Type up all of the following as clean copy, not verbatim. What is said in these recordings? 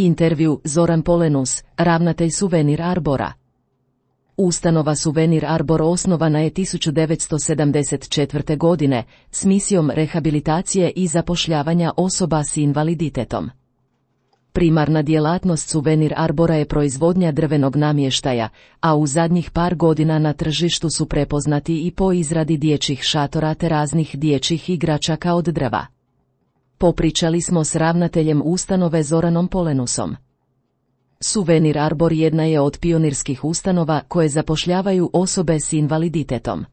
Intervju Zoran Polenus, ravnatelj Suvenir Arbora. Ustanova Suvenir Arbor osnovana je 1974. godine s misijom rehabilitacije i zapošljavanja osoba s invaliditetom. Primarna djelatnost Suvenir Arbora je proizvodnja drvenog namještaja, a u zadnjih par godina na tržištu su prepoznati i po izradi dječjih šatora te raznih dječjih igračaka od drva. Popričali smo s ravnateljem ustanove Zoranom Polenusom. Suvenir Arbor jedna je od pionirskih ustanova koje zapošljavaju osobe s invaliditetom.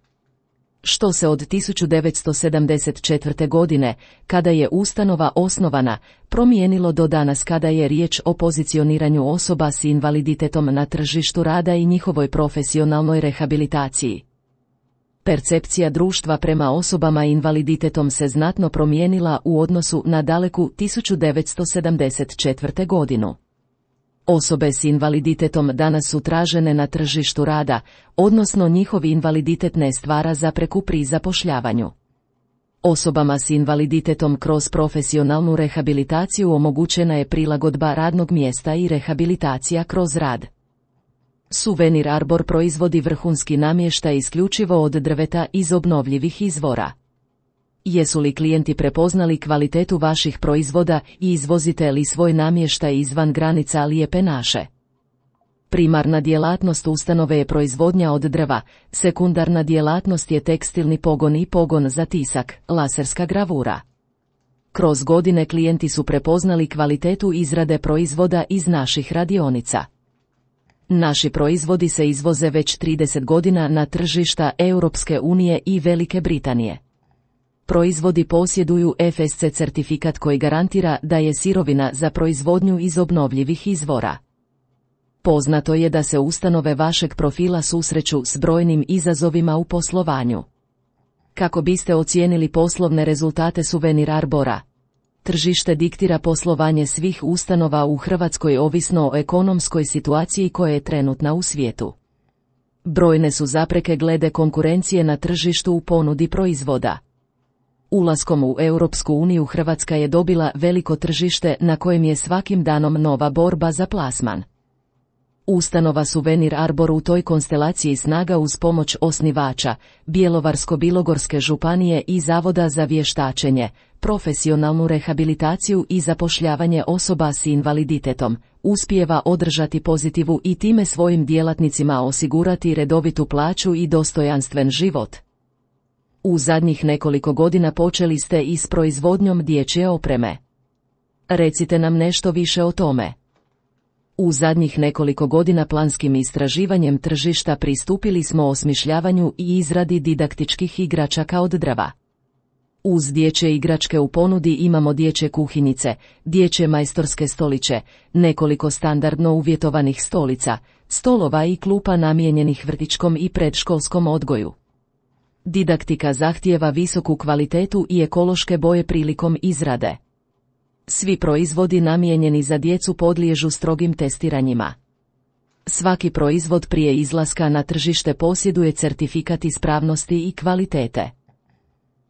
Što se od 1974. godine, kada je ustanova osnovana, promijenilo do danas kada je riječ o pozicioniranju osoba s invaliditetom na tržištu rada i njihovoj profesionalnoj rehabilitaciji. Percepcija društva prema osobama invaliditetom se znatno promijenila u odnosu na daleku 1974. godinu. Osobe s invaliditetom danas su tražene na tržištu rada, odnosno njihov invaliditet ne stvara zapreku pri zapošljavanju. Osobama s invaliditetom kroz profesionalnu rehabilitaciju omogućena je prilagodba radnog mjesta i rehabilitacija kroz rad. Suvenir Arbor proizvodi vrhunski namještaj isključivo od drveta iz obnovljivih izvora. Jesu li klijenti prepoznali kvalitetu vaših proizvoda i izvozite li svoj namještaj izvan granica Lijepe naše? Primarna djelatnost ustanove je proizvodnja od drva, sekundarna djelatnost je tekstilni pogon i pogon za tisak, laserska gravura. Kroz godine klijenti su prepoznali kvalitetu izrade proizvoda iz naših radionica. Naši proizvodi se izvoze već 30 godina na tržišta Europske unije i Velike Britanije. Proizvodi posjeduju FSC certifikat koji garantira da je sirovina za proizvodnju iz obnovljivih izvora. Poznato je da se ustanove vašeg profila susreću s brojnim izazovima u poslovanju. Kako biste ocijenili poslovne rezultate Suvenir Arbora? Tržište diktira poslovanje svih ustanova u Hrvatskoj ovisno o ekonomskoj situaciji koja je trenutna u svijetu. Brojne su zapreke glede konkurencije na tržištu u ponudi proizvoda. Ulaskom u Europsku uniju Hrvatska je dobila veliko tržište na kojem je svakim danom nova borba za plasman. Ustanova Suvenir Arbor u toj konstelaciji snaga uz pomoć osnivača, Bjelovarsko-bilogorske županije i Zavoda za vještačenje, profesionalnu rehabilitaciju i zapošljavanje osoba s invaliditetom, uspijeva održati pozitivu i time svojim djelatnicima osigurati redovitu plaću i dostojanstven život. U zadnjih nekoliko godina počeli ste i s proizvodnjom dječje opreme. Recite nam nešto više o tome. U zadnjih nekoliko godina planskim istraživanjem tržišta pristupili smo osmišljavanju i izradi didaktičkih igračaka od drva. Uz dječje igračke u ponudi imamo dječje kuhinjice, dječje majstorske stoliće, nekoliko standardno uvjetovanih stolica, stolova i klupa namijenjenih vrtićkom i predškolskom odgoju. Didaktika zahtijeva visoku kvalitetu i ekološke boje prilikom izrade. Svi proizvodi namijenjeni za djecu podliježu strogim testiranjima. Svaki proizvod prije izlaska na tržište posjeduje certifikat ispravnosti i kvalitete.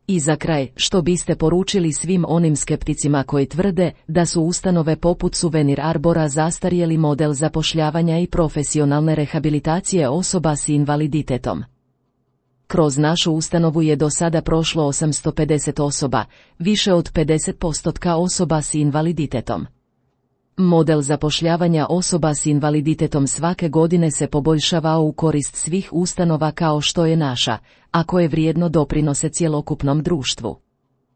I za kraj, što biste poručili svim onim skepticima koji tvrde da su ustanove poput Suvenir Arbora zastarjeli model zapošljavanja i profesionalne rehabilitacije osoba s invaliditetom? Kroz našu ustanovu je do sada prošlo 850 osoba, više od 50% osoba s invaliditetom. Model zapošljavanja osoba s invaliditetom svake godine se poboljšava u korist svih ustanova kao što je naša, a koje vrijedno doprinose cjelokupnom društvu.